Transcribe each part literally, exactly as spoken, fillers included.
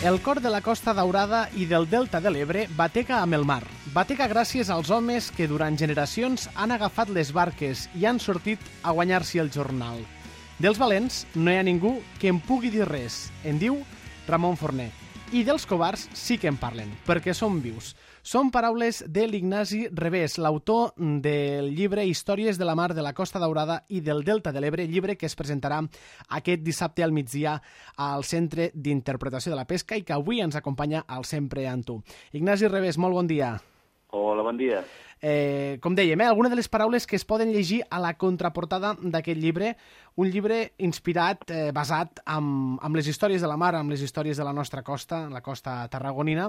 El cor de la Costa Daurada i del Delta de l'Ebre batega amb el mar. Batega gràcies als homes que durant generacions han agafat les barques i han sortit a guanyar-s'hi el jornal. Dels valents no hi ha ningú que en pugui dir res, en diu Ramon Forner. I dels covards sí que en parlen, perquè són vius. Són paraules de l'Ignasi Revés, l'autor del llibre Històries de la mar de la Costa Daurada i del Delta de l'Ebre, llibre que es presentarà aquest dissabte al migdia al Centre d'Interpretació de la Pesca i que avui ens acompanya al Sempre amb tu. Ignasi Revés, molt bon dia. Hola, bon dia. Eh, com dèiem, eh, alguna de les paraules que es poden llegir a la contraportada d'aquest llibre, un llibre inspirat, eh, basat amb, amb les històries de la mar, amb les històries de la nostra costa, la costa tarragonina,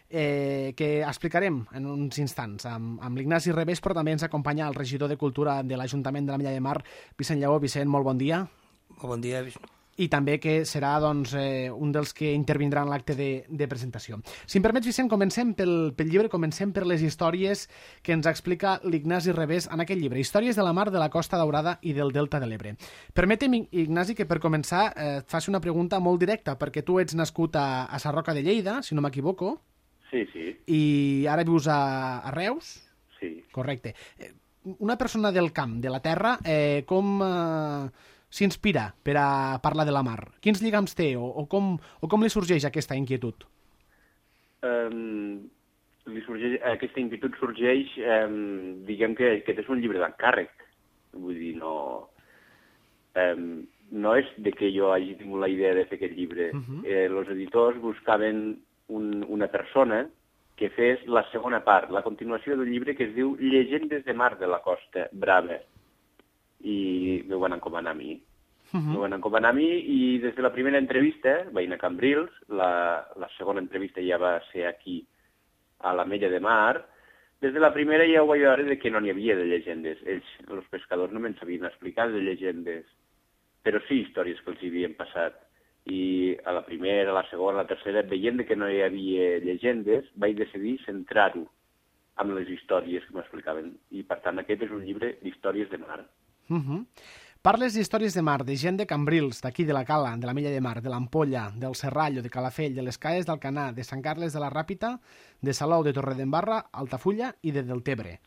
eh, que explicarem en uns instants amb, amb l'Ignasi Revés, però també ens acompanya el regidor de Cultura de l'Ajuntament de la Milla de Mar, Vicent Lleó. Vicent, molt bon dia. Molt bon dia, Vicent. I també que serà doncs, eh, un dels que intervindrà en l'acte de, de presentació. Si em permets, Vicent, comencem pel, pel llibre, comencem per les històries que ens explica l'Ignasi Revés en aquest llibre, Històries de la mar de la Costa Daurada i del Delta de l'Ebre. Permetem, Ignasi, que per començar eh, et faci una pregunta molt directa, perquè tu ets nascut a, a Sarroca de Lleida, si no m'equivoco. Sí, sí. I ara vius a, a Reus? Sí. Correcte. Una persona del camp, de la terra, eh, com... Eh, s'inspira per a parlar de la mar? Quins lligams té o, o, com, o com li sorgeix aquesta inquietud? Um, li sorgeix, aquesta inquietud sorgeix, um, diguem que aquest és un llibre d'encàrrec. Vull dir, no... Um, no és de que jo hagi tingut la idea de fer aquest llibre. Uh -huh. eh, els editors buscaven un, una persona que fes la segona part, la continuació del llibre que es diu Llegendes de mar de la Costa Brava. I m'ho van encomanar a mi. Uh -huh. M'ho van encomanar a mi i des de la primera entrevista vaig anar a Cambrils, la, la segona entrevista ja va ser aquí, a la Mella de Mar. Des de la primera ja ho vaig veure de que no n'hi havia de llegendes. Ells, els pescadors, no me'n sabien explicar de llegendes, però sí històries que els hi havien passat. I a la primera, a la segona, a la tercera, veient que no hi havia llegendes, vaig decidir centrar-ho amb les històries que m'explicaven. I, per tant, aquest és un llibre d'històries de mar. Uh -huh. Parles d'històries de mar, de gent de Cambrils, d'aquí de la Cala, de la Milla de Mar, de l'Ampolla, del Serrallo, de Calafell, de les Caes d'Alcanar, de Sant Carles de la Ràpita, de Salou, de Torredembarra, Altafulla i de Deltebre.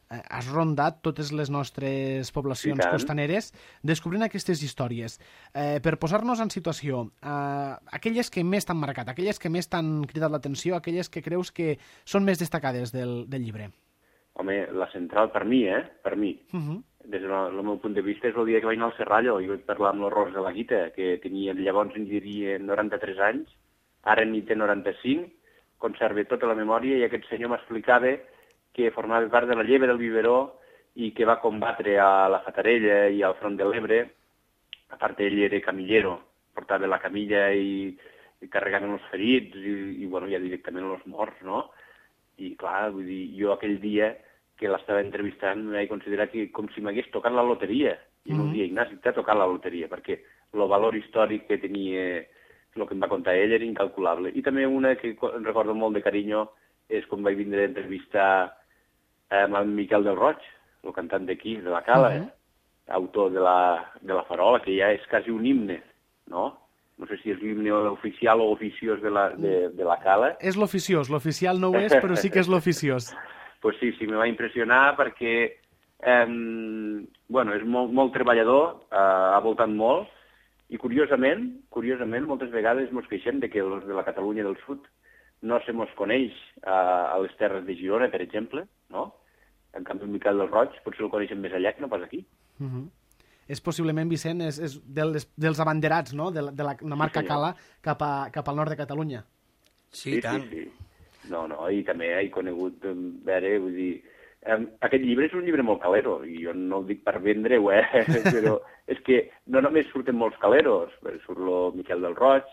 Eh, has rondat totes les nostres poblacions costaneres descobrint aquestes històries. Eh, per posar-nos en situació, eh, aquelles que més t'han marcat, aquelles que més t'han cridat l'atenció, aquelles que creus que són més destacades del, del llibre. Home, la central per mi, eh? Per mi. Uh -huh. Des del meu punt de vista és el dia que vaig anar al Serrallo i vaig parlar amb l'Horrors de la Guita, que tenia llavors en diria noranta-tres anys, ara n'hi té noranta-cinc, conserva tota la memòria i aquest senyor m'explicava que formava part de la lleva del Biberó i que va combatre a la Fatarella i al front de l'Ebre. A part, ell era camillero, portava la camilla i, i carregaven els ferits i, i bueno, ja directament els morts, no? I clar, vull dir, jo aquell dia que l'estava entrevistant m'he considerat que com si m'hagués tocat la loteria. I mm -hmm. no dia, Ignasi, t'ha tocat la loteria, perquè el valor històric que tenia, el que em va contar ell, era incalculable. I també una que recordo molt de carinyo és quan vaig vindre a entrevistar amb el Miquel del Roig, el cantant d'aquí, de la Cala, mm -hmm. autor de la, de la Farola, que ja és quasi un himne, no? No sé si és l'himne oficial o oficiós de la, de, de la Cala. És l'oficiós, l'oficial no ho és, però sí que és l'oficiós. Pues sí, sí, me va impressionar perquè eh, bueno, és molt, molt treballador, eh, ha voltat molt, i curiosament, curiosament, moltes vegades ens queixem de que els de la Catalunya del Sud no se mos coneix a, a les terres de Girona, per exemple, no? En canvi, el Miquel del Roig potser el coneixem més allà que no pas aquí. Uh -huh. És possiblement, Vicent, és, és dels, dels abanderats, no?, de la, de la, la marca sí, Cala cap, a, cap al nord de Catalunya. Sí, sí, tant. Sí, sí. No, no, i també he conegut, veure, vull dir, eh, aquest llibre és un llibre molt calero, i jo no ho dic per vendre-ho, eh, però és que no només surten molts caleros, surt el Miquel del Roig,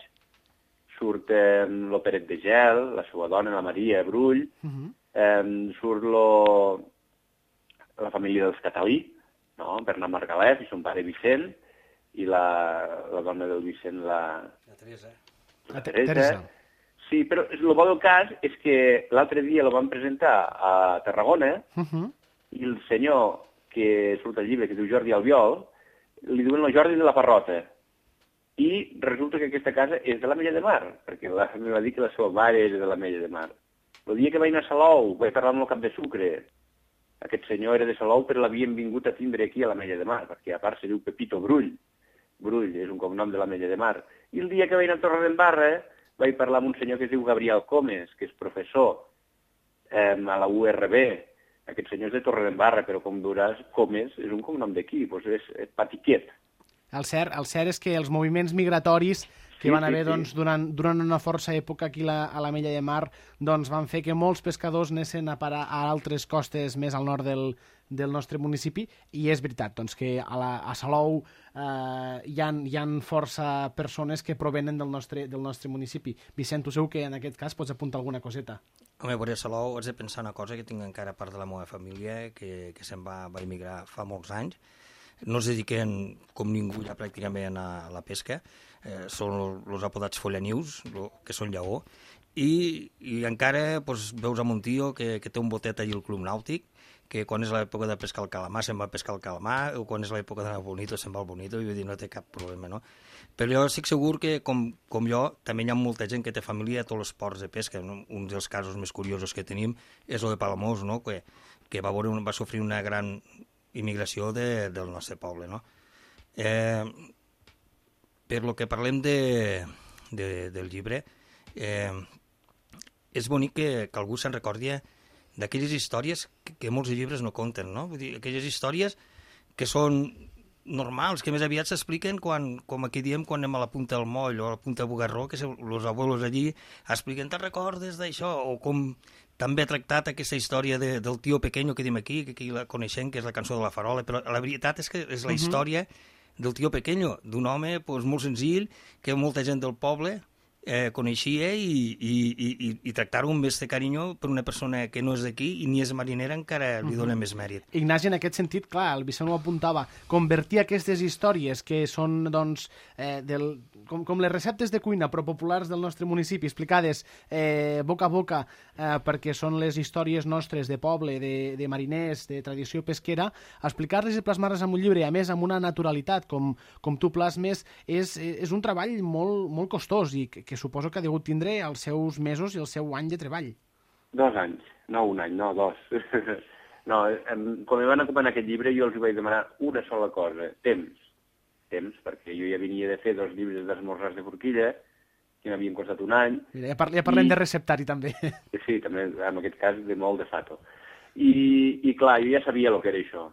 surt eh, el Peret de Gel, la seva dona, la Maria Brull, uh -huh. eh, surt lo, la família dels Catalí, no? Bernat Margalef i son pare Vicent, i la, la dona del Vicent, la... La Teresa. La Teresa. Teresa. Sí, però el bo del cas és que l'altre dia la van presentar a Tarragona uh -huh. i el senyor que surt al llibre, que diu Jordi Albiol, li diuen el Jordi de la Parrota. I resulta que aquesta casa és de l'Ametlla de Mar, perquè la, em va dir que la seva mare era de l'Ametlla de Mar. El dia que vaig anar a Salou, vaig parlar amb el cap de Sucre. Aquest senyor era de Salou, però l'havien vingut a tindre aquí a l'Ametlla de Mar, perquè a part se diu Pepito Brull. Brull és un cognom de l'Ametlla de Mar. I el dia que vaig anar a Torredembarra, vaig parlar amb un senyor que es diu Gabriel Comes, que és professor eh, a la U R B. Aquest senyor és de Torredembarra, però com veuràs, Comes és un cognom d'aquí, doncs és, és Patiquet. El cert, el cert és que els moviments migratoris que Sí, van sí, haver sí. doncs, durant, durant una força època aquí la, a l'Ametlla de Mar doncs, van fer que molts pescadors anessin a parar a altres costes més al nord del, del nostre municipi, i és veritat doncs, que a, la, a Salou eh, hi, ha, hi ha força persones que provenen del nostre, del nostre municipi. Vicent, tu segur que en aquest cas pots apuntar alguna coseta. Home, a Salou haig de pensar una cosa que tinc encara part de la meva família, que, que se'n va, va emigrar fa molts anys. No es dediquen com ningú ja pràcticament a la pesca, eh, són els apodats follanius, lo, que són lleó, i, i encara pues, veus amb un tio que, que té un botet allà al Club Nàutic, que quan és l'època de pescar el calamar se'n va a pescar el calamar, o quan és l'època d'anar al Bonito se'n va al Bonito, i vull dir, no té cap problema, no? Però jo estic segur que, com, com jo, també hi ha molta gent que té família a tots els ports de pesca. No? Un dels casos més curiosos que tenim és el de Palamós, no? que, que va, veure, va sofrir una gran immigració de, del nostre poble, no? Eh, per lo que parlem de, de, del llibre, eh, és bonic que, que algú se'n recordi d'aquelles històries que, que molts llibres no conten, no? Vull dir, aquelles històries que són normals, que més aviat s'expliquen quan, com aquí diem, quan anem a la punta del moll o a la punta del Bugarró, que els abuelos allí expliquen, te'n recordes d'això? O com també ha tractat aquesta història de, del tio pequeño que diem aquí, que aquí la coneixem, que és la cançó de la Farola, però la veritat és que és la història del tio pequeño, d'un home pues, molt senzill, que molta gent del poble eh, coneixia i, i, i, i tractar-ho amb més de carinyo per una persona que no és d'aquí i ni és marinera encara li dona més mèrit. Ignasi, en aquest sentit, clar, el Vicent ho apuntava, convertir aquestes històries que són, doncs, eh, del, com, com les receptes de cuina però populars del nostre municipi, explicades eh, boca a boca, eh, perquè són les històries nostres de poble, de, de mariners, de tradició pesquera, explicar-les i plasmar-les en un llibre, a més amb una naturalitat, com, com tu plasmes, és, és un treball molt, molt costós i que, que suposo que ha degut tindre els seus mesos i el seu any de treball. Dos anys, no un any, no dos. no, em, quan em van acomanar aquest llibre jo els vaig demanar una sola cosa, temps. Temps, perquè jo ja venia de fer dos llibres d'esmorzars de forquilla, que m'havien costat un any. Mira, ja, par ja parlem i... de receptari, també. Sí, també, en aquest cas, de molt de fato. I, i clar, jo ja sabia el que era això.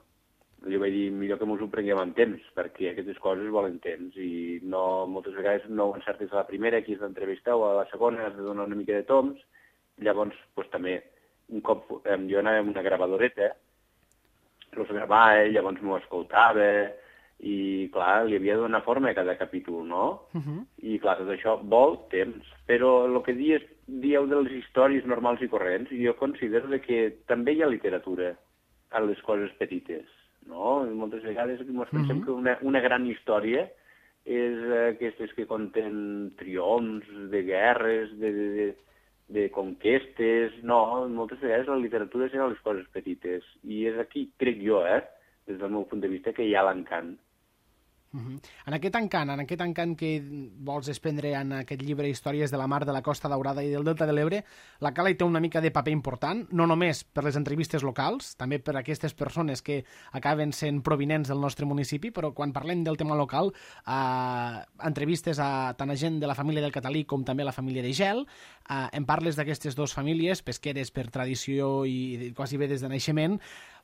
Jo vaig dir, millor que mos ho prenguem amb temps, perquè aquestes coses volen temps, i no, moltes vegades no ho encertes a la primera, aquí és l'entrevista, o a la segona has de donar una mica de toms. Llavors, pues, també, un cop eh, jo anava amb una gravadoreta, els gravava, llavors m'ho escoltava, i clar, li havia de donar forma a cada capítol, no? Uh -huh. I clar, tot això vol temps, però el que dies, dieu de les històries normals i corrents, jo considero que també hi ha literatura a les coses petites. No? Moltes vegades ens pensem uh -huh. que una, una gran història és aquestes que conten triomfs, de guerres, de, de, de, de conquestes. No, moltes vegades la literatura és a les coses petites. I és aquí, crec jo, eh, des del meu punt de vista, que hi ha l'encant. Uh-huh. En aquest encant, en aquest encant que vols desprendre en aquest llibre Històries de la Mar, de la Costa Daurada i del Delta de l'Ebre, la Cala hi té una mica de paper important, no només per les entrevistes locals, també per aquestes persones que acaben sent provinents del nostre municipi, però quan parlem del tema local, eh, entrevistes a tant a gent de la família del Catalí com també a la família de Gel, eh, en parles d'aquestes dues famílies, pesqueres per tradició i quasi bé des de naixement,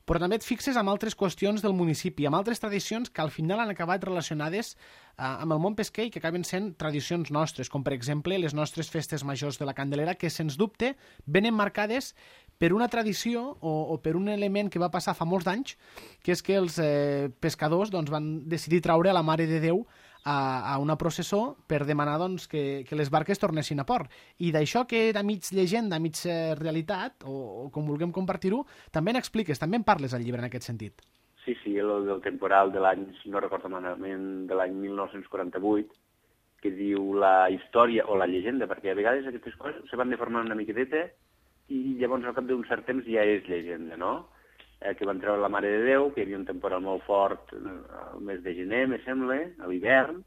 però també et fixes en altres qüestions del municipi, amb altres tradicions que al final han acabat relacionades eh, amb el món pesquer i que acaben sent tradicions nostres, com per exemple les nostres festes majors de la Candelera, que sens dubte venen marcades per una tradició o, o per un element que va passar fa molts anys, que és que els eh, pescadors doncs, van decidir traure a la Mare de Déu a, a una processó per demanar doncs, que, que les barques tornessin a port. I d'això que era mig llegenda, mig realitat, o, o com vulguem compartir-ho, també n'expliques, també en parles al llibre en aquest sentit. Sí, sí, el del temporal de l'any, si no recordo malament, de l'any mil nou-cents quaranta-vuit, que diu la història o la llegenda, perquè a vegades aquestes coses se van deformant una miqueteta i llavors al cap d'un cert temps ja és llegenda, no? Eh, que van treure la Mare de Déu, que hi havia un temporal molt fort el mes de gener, me sembla, a l'hivern,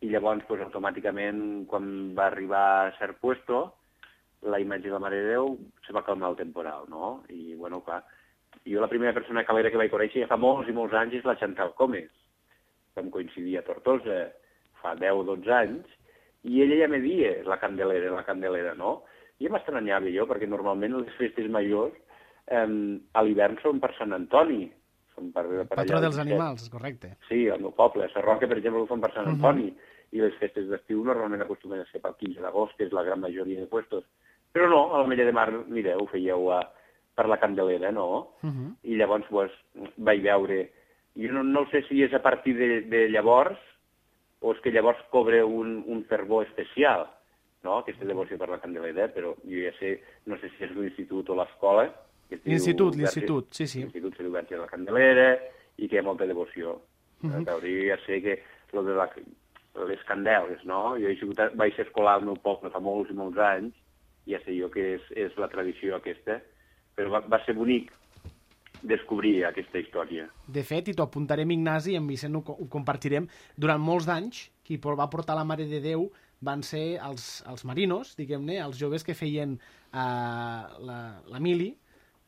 i llavors pues, automàticament quan va arribar a cert puesto la imatge de la Mare de Déu se va calmar el temporal, no? I, bueno, clar, jo la primera persona calera que vaig conèixer ja fa molts i molts anys és la Chantal Comes, que em coincidia a Tortosa fa deu o dotze anys, i ella ja me dia la Candelera, la Candelera, no? I m'estranyava jo, perquè normalment les festes majors eh, a l'hivern són per Sant Antoni. Són per, per Patró allà, dels animals, correcte. Sí, al meu poble, a Sarroca, per exemple, ho fan per Sant Antoni, uh -huh. i les festes d'estiu normalment acostumen a ser pel quinze d'agost, que és la gran majoria de puestos. Però no, a l'Ametlla de Mar, mireu, ho fèieu a, per la Candelera, no? Uh -huh. I llavors pues, vaig veure... Jo no, no sé si és a partir de, de llavors o és que llavors cobra un, un fervor especial, no?, aquesta devoció per la Candelera, però jo ja sé, no sé si és l'institut o l'escola... L'institut, l'institut, sí, sí. L'institut se diu Verge de la Candelera i que hi ha molta devoció. Uh -huh. Jo ja sé que lo de la, les candeles, no? Jo he sigut, vaig ser escolar al meu poble fa molts i molts anys, ja sé jo que és, és la tradició aquesta, però va, va ser bonic descobrir aquesta història. De fet, i t'ho apuntarem, Ignasi, i en Vicent ho, ho compartirem, durant molts d'anys, qui va portar la Mare de Déu van ser els, els marinos, diguem-ne, els joves que feien uh, la, la mili,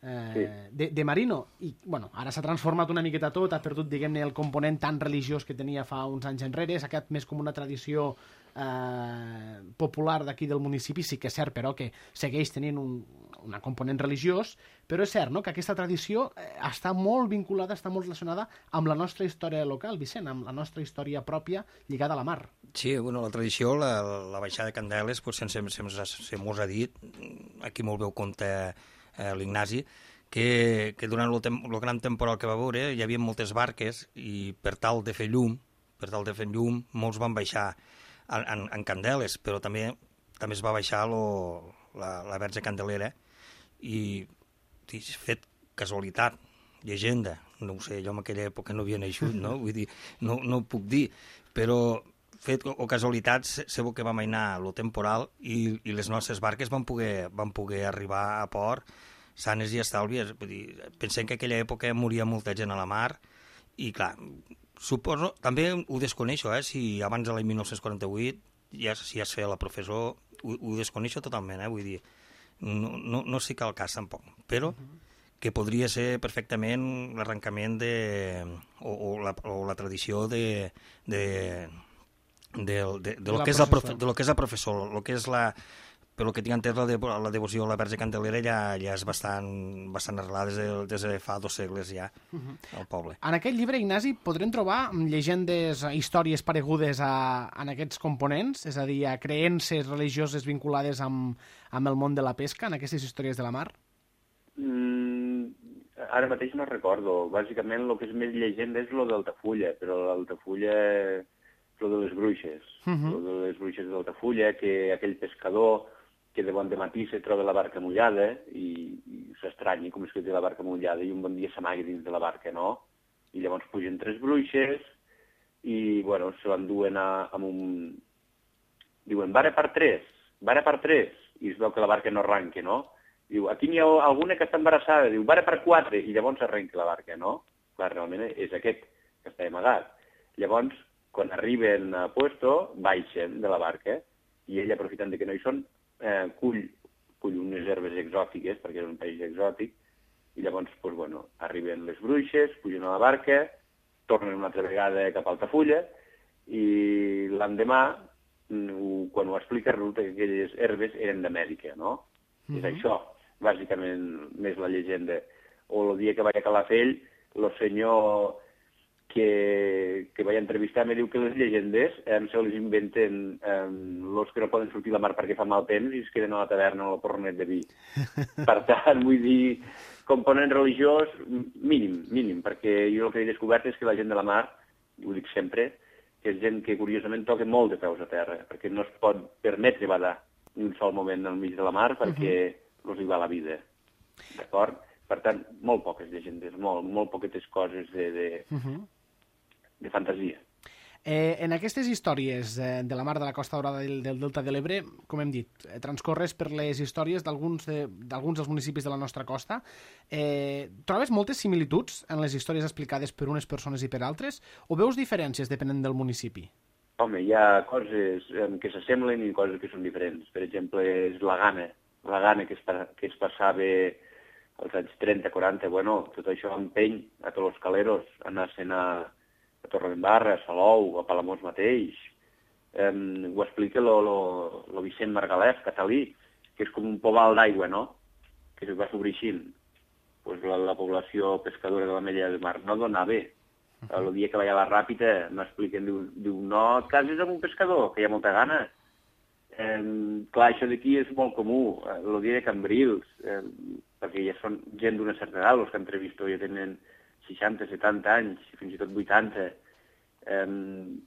eh, sí. de, de marino. I, bueno, ara s'ha transformat una miqueta tot, ha perdut, diguem-ne, el component tan religiós que tenia fa uns anys enrere, s'ha quedat més com una tradició eh, popular d'aquí del municipi, sí que és cert, però, que segueix tenint un, un component religiós, però és cert, no?, que aquesta tradició eh, està molt vinculada, està molt relacionada amb la nostra història local, Vicent, amb la nostra història pròpia lligada a la mar. Sí, bueno, la tradició, la, la baixada de Candeles, pues, sense, sense, se mos ha dit, aquí molt bé ho compta eh, l'Ignasi, que, que durant el, tem el gran temporal que va veure hi havia moltes barques i per tal de fer llum, per tal de fer llum, molts van baixar en, en, en Candeles, però també també es va baixar lo, la, la Verge Candelera i, i fet casualitat, llegenda, no ho sé, jo en aquella època no havia naixut, no? Vull dir, no, no ho puc dir, però fet o casualitat, segur que vam anar a lo temporal i, i les nostres barques van poder, van poder arribar a port sanes i estalvies. Vull dir, pensem que en aquella època moria molta gent a la mar i, clar, suposo, també ho desconeixo, eh, si abans de l'any mil nou-cents quaranta-vuit ja, si ja es feia la professor, ho, ho desconeixo totalment, eh, vull dir, no, no, no sé que el cas tampoc, però que podria ser perfectament l'arrencament de, o, o, la, o la tradició de, de, de, de, de, lo que és la profe, de lo que és la professor, lo que és la, per lo que tinc entès, la, de, la devoció a la Verge Candelera ja, ja és bastant, bastant arrelada des de, des de fa dos segles ja al poble. En aquest llibre, Ignasi, podrem trobar llegendes, històries paregudes a, a aquests components, és a dir, a creences religioses vinculades amb, amb el món de la pesca, en aquestes històries de la mar? Mm, ara mateix no recordo. Bàsicament el que és més llegenda és lo d'Altafulla, però l'Altafulla és lo de les bruixes. Uh -huh. Lo de les bruixes d'Altafulla, que aquell pescador que de bon dematí se troba la barca mullada i, i s'estranyi com és que té la barca mullada i un bon dia s'amaga dins de la barca, no? I llavors pugen tres bruixes i, bueno, se l'enduen amb un... Diuen, vara per tres, vara per tres, i es veu que la barca no arranca, no? Diu, aquí n'hi ha alguna que està embarassada, diu, vara per quatre, i llavors arrenca la barca, no? Clar, realment és aquest que està amagat. Llavors, quan arriben a puesto, baixen de la barca, i ell, aprofitant que no hi són, eh, cull, cull unes herbes exòtiques, perquè és un país exòtic, i llavors, doncs, bueno, arriben les bruixes, pugen a la barca, tornen una altra vegada cap a Altafulla, i l'endemà, quan ho explica, resulta que aquelles herbes eren d'Amèrica, no? Mm-hmm. És això, bàsicament, més la llegenda. O el dia que vaig a Calafell, el senyor que, que vaig entrevistar me diu que les llegendes eh, se les inventen eh, els que no poden sortir a la mar perquè fa mal temps i es queden a la taverna o al porronet de vi. Per tant, vull dir, component religiós mínim, mínim, perquè jo el que he descobert és que la gent de la mar, ho dic sempre, que és gent que curiosament toca molt de peus a terra, perquè no es pot permetre badar ni un sol moment al mig de la mar perquè uh-huh. els hi va la vida. D'acord? Per tant, molt poques llegendes, molt, molt poquetes coses de, de, uh-huh. de fantasia. Eh, en aquestes històries eh, de la mar de la Costa Daurada del, del Delta de l'Ebre, com hem dit, eh, transcorres per les històries d'alguns de, d'alguns dels municipis de la nostra costa. Eh, trobes moltes similituds en les històries explicades per unes persones i per altres, o veus diferències depenent del municipi? home, hi ha coses que s'assemblen i coses que són diferents. Per exemple, és la gana, la gana que es, que es passava als anys trenta, quaranta, bueno, tot això empeny a tots els caleros, anar-se'n a, a Torredembarra, a Salou, a Palamós mateix. Um, ho explica lo, lo, lo Vicent Margalef, catalí, que és com un poval d'aigua, no?, que es va sobreixint. Pues la, la població pescadora de la Mella del Mar no dona bé. El dia que vaig a la Ràpita m'expliquen, diu, diu, no et cases amb un pescador, que hi ha molta gana. Eh, clar, això d'aquí és molt comú, el dia de Cambrils, eh, perquè ja són gent d'una certa edat, els que entrevisto ja tenen seixanta, setanta anys, fins i tot vuitanta, eh,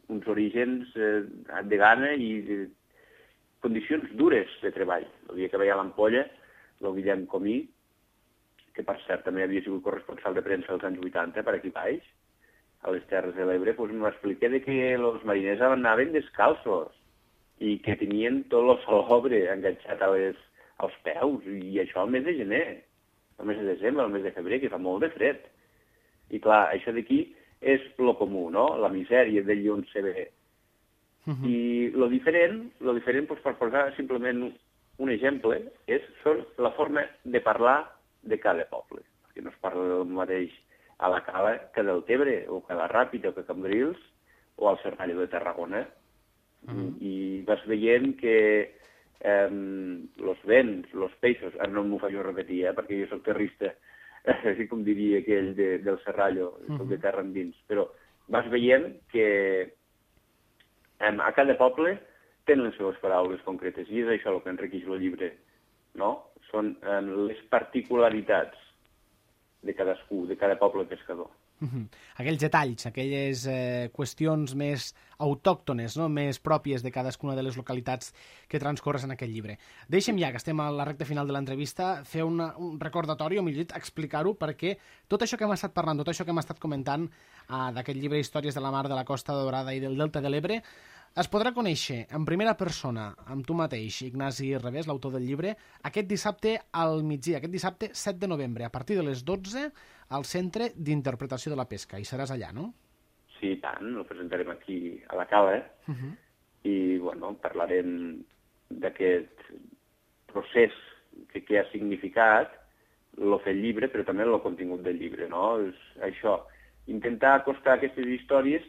uns orígens eh, de gana i de condicions dures de treball. El dia que vaig a l'Ampolla, el Guillem Comí, que per cert també havia sigut corresponsal de premsa als anys vuitanta per aquí baix, a les Terres de l'Ebre, doncs m'expliqué que els mariners anaven descalços i que tenien tot el salobre enganxat a les, als peus, i això al mes de gener, al mes de desembre, al mes de febrer, que fa molt de fred. I clar, això d'aquí és lo comú, no?, la misèria d'allí on se ve. Uh-huh. I lo diferent, lo diferent doncs, per posar simplement un exemple, és són la forma de parlar de cada poble, perquè no es parla del mateix a la Cala que del Tebre, o que a la Ràpita, o que a Cambrils, o al Serrallo de Tarragona. Mm. I vas veient que eh, los vents, los peixos, ara no m'ho faig repetir, eh, perquè jo soc terrista, eh, com diria aquell de, del Serrallo, mm -hmm. soc de terra endins, però vas veient que eh, a cada poble tenen les seves paraules concretes, i és això el que enriqueix el llibre, no? Són eh, les particularitats de cadascú, de cada poble pescador. Uh-huh. Aquells detalls, aquelles eh, qüestions més autòctones, no?, més pròpies de cadascuna de les localitats que transcorres en aquest llibre. Deixem ja, que estem a la recta final de l'entrevista, fer una, un recordatori, o millor dit, explicar-ho, perquè tot això que hem estat parlant, tot això que hem estat comentant eh, d'aquest llibre Històries de la Mar, de la Costa Daurada i del Delta de l'Ebre, es podrà conèixer en primera persona, amb tu mateix, Ignasi Revés, l'autor del llibre, aquest dissabte al migdia, aquest dissabte set de novembre, a partir de les dotze, al Centre d'Interpretació de la Pesca. I seràs allà, no? Sí, i tant, el presentarem aquí a la Cala, eh? Uh-huh. I, bueno, parlarem d'aquest procés que, que ha significat el fer el llibre, però també el contingut del llibre, no? És això, intentar acostar aquestes històries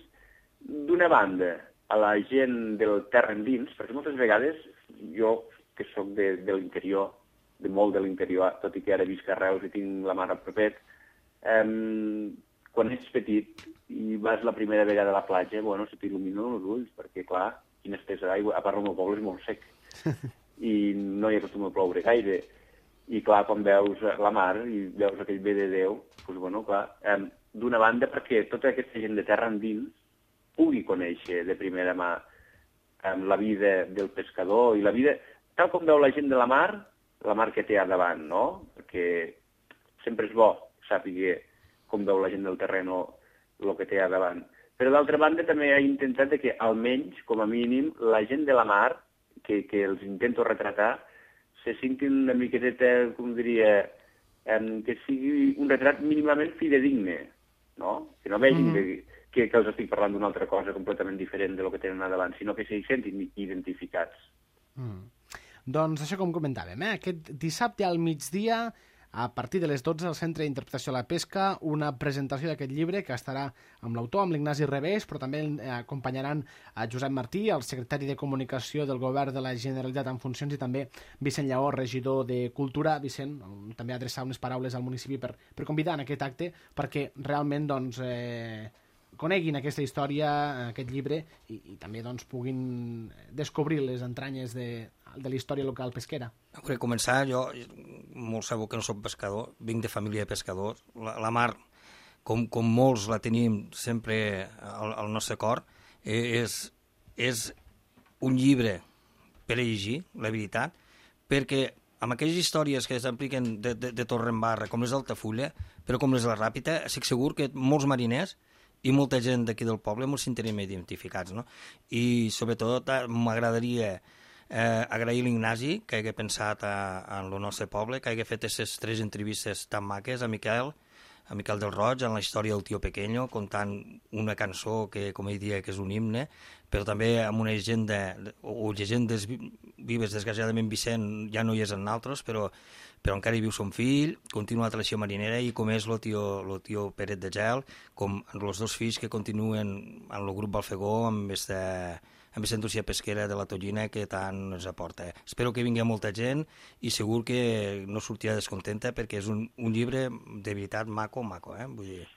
d'una banda a la gent del terra endins, perquè moltes vegades jo, que sóc de, de l'interior, de molt de l'interior, tot i que ara visc a Reus i tinc la mar a propet, eh, quan ets petit i vas la primera vegada a la platja, bueno, se t'il·luminen els ulls, perquè, clar, quina estesa d'aigua, a part el meu poble és molt sec, i no hi acostuma a ploure gaire. I, clar, quan veus la mar i veus aquell bé de Déu, doncs, bueno, clar, eh, d'una banda perquè tota aquesta gent de terra endins pugui conèixer de primera mà eh, la vida del pescador i la vida, tal com veu la gent de la mar, la mar que té a davant, no? Perquè sempre és bo saber com veu la gent del terreno el que té a davant. Però d'altra banda també he intentat que almenys, com a mínim, la gent de la mar, que, que els intento retratar, se sentin una miqueta, com diria, eh, que sigui un retrat mínimament fidedigne, no? Que no vegin mm -hmm. que Que, que els estic parlant d'una altra cosa completament diferent de lo que tenen a davant, sinó que s'hi sentin identificats. Mm. Doncs això com comentàvem, eh? Aquest dissabte al migdia, a partir de les dotze, al Centre d'Interpretació de la Pesca, una presentació d'aquest llibre que estarà amb l'autor, amb l'Ignasi Revés, però també acompanyaran a Josep Martí, el secretari de Comunicació del Govern de la Generalitat en funcions, i també Vicent Lleó, regidor de Cultura. Vicent, també adreçar unes paraules al municipi per, per convidar en aquest acte, perquè realment, doncs, eh, coneguin aquesta història, aquest llibre, i, i també doncs, puguin descobrir les entranyes de, de la història local pesquera. Per començar, jo, molt sabeu que no soc pescador, vinc de família de pescadors. La, la mar, com, com molts la tenim sempre al, al nostre cor, és, és un llibre per a llegir, la veritat, perquè amb aquelles històries que s'apliquen de, de, de Torredembarra, com les d'Altafulla, però com les de la Ràpita, estic segur que molts mariners i molta gent d'aquí del poble ens sentirem identificats, no? I sobretot m'agradaria eh, agrair l'Ignasi que hagi pensat a, en el nostre poble, que hagi fet aquestes tres entrevistes tan maques, a Miquel, a Miquel del Roig, en la història del Tio Pequeño, contant una cançó que, com ell diria, que és un himne, però també amb una llegenda, o llegendes vives, desgraciadament Vicent ja no hi és en altres, però, però encara hi viu son fill, continua la tradició marinera, i com és el tio, lo tio Peret de Gel, com els dos fills que continuen en el grup Balfegó amb aquesta amb aquesta indústria pesquera de la tonyina que tant ens aporta. Espero que vingui molta gent i segur que no sortirà descontenta perquè és un, un llibre de veritat maco, maco, eh? Vull dir,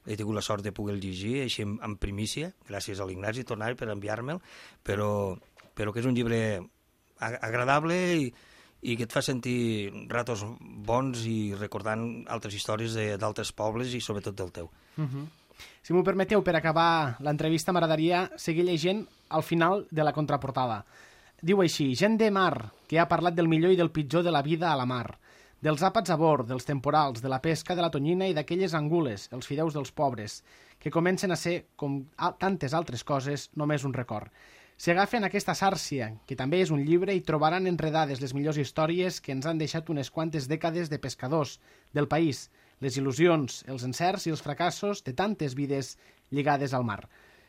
he tingut la sort de poder llegir així en, en primícia, gràcies a l'Ignasi Tornari per enviar-me'l, però, però que és un llibre agradable i, i que et fa sentir ratos bons i recordant altres històries d'altres pobles i sobretot del teu. Uh-huh. Si m'ho permeteu, per acabar l'entrevista m'agradaria seguir llegint al final de la contraportada. Diu així: gent de mar, que ha parlat del millor i del pitjor de la vida a la mar, dels àpats a bord, dels temporals, de la pesca de la tonyina i d'aquelles angules, els fideus dels pobres, que comencen a ser, com tantes altres coses, només un record. Si agafen aquesta sàrcia, que també és un llibre, i trobaran enredades les millors històries que ens han deixat unes quantes dècades de pescadors del país, les il·lusions, els encerts i els fracassos de tantes vides lligades al mar.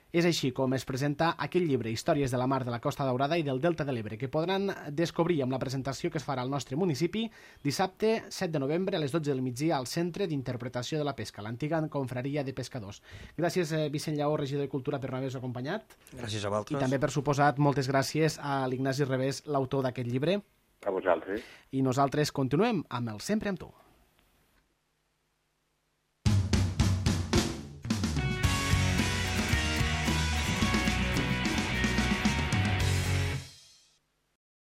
És així com es presenta aquell llibre, Històries de la mar de la Costa Daurada i del Delta de l'Ebre, que podran descobrir amb la presentació que es farà al nostre municipi dissabte set de novembre a les dotze del migdia al Centre d'Interpretació de la Pesca, l'antiga confraria de pescadors. Gràcies, Vicent Lleó, regidor de Cultura, per haver-nos acompanyat. Gràcies a vosaltres. I també, per suposat, moltes gràcies a l'Ignasi Revés, l'autor d'aquest llibre. A vosaltres. I nosaltres continuem amb el Sempre amb tu.